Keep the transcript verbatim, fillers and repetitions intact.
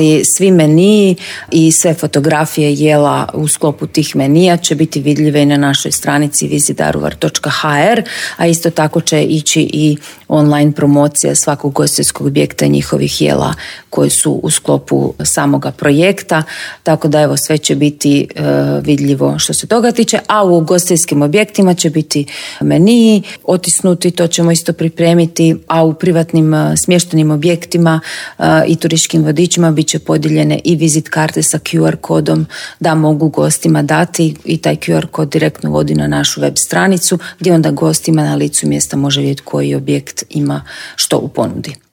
I svi meniji i sve fotografije jela u sklopu tih menija će biti vidljive i na našoj stranici visit daruvar točka ha er, a isto tako će ići i online promocija svakog ugostiteljskog objekta i njihovih jela koji su u sklopu samoga projekta, tako da evo sve će biti e, vidljivo što se toga tiče, a u ugostiteljskim objektima će biti meniji otisnuti, to ćemo isto pripremiti, a u privatnim e, smještenim objektima e, i turističkim vodičima bit će podijeljene i vizit karte sa Q R kodom da mogu gostima dati i taj Q R kod direktno vodi na našu web stranicu gdje onda gostima na licu mjesta može vidjeti koji objekt ima što u ponudi.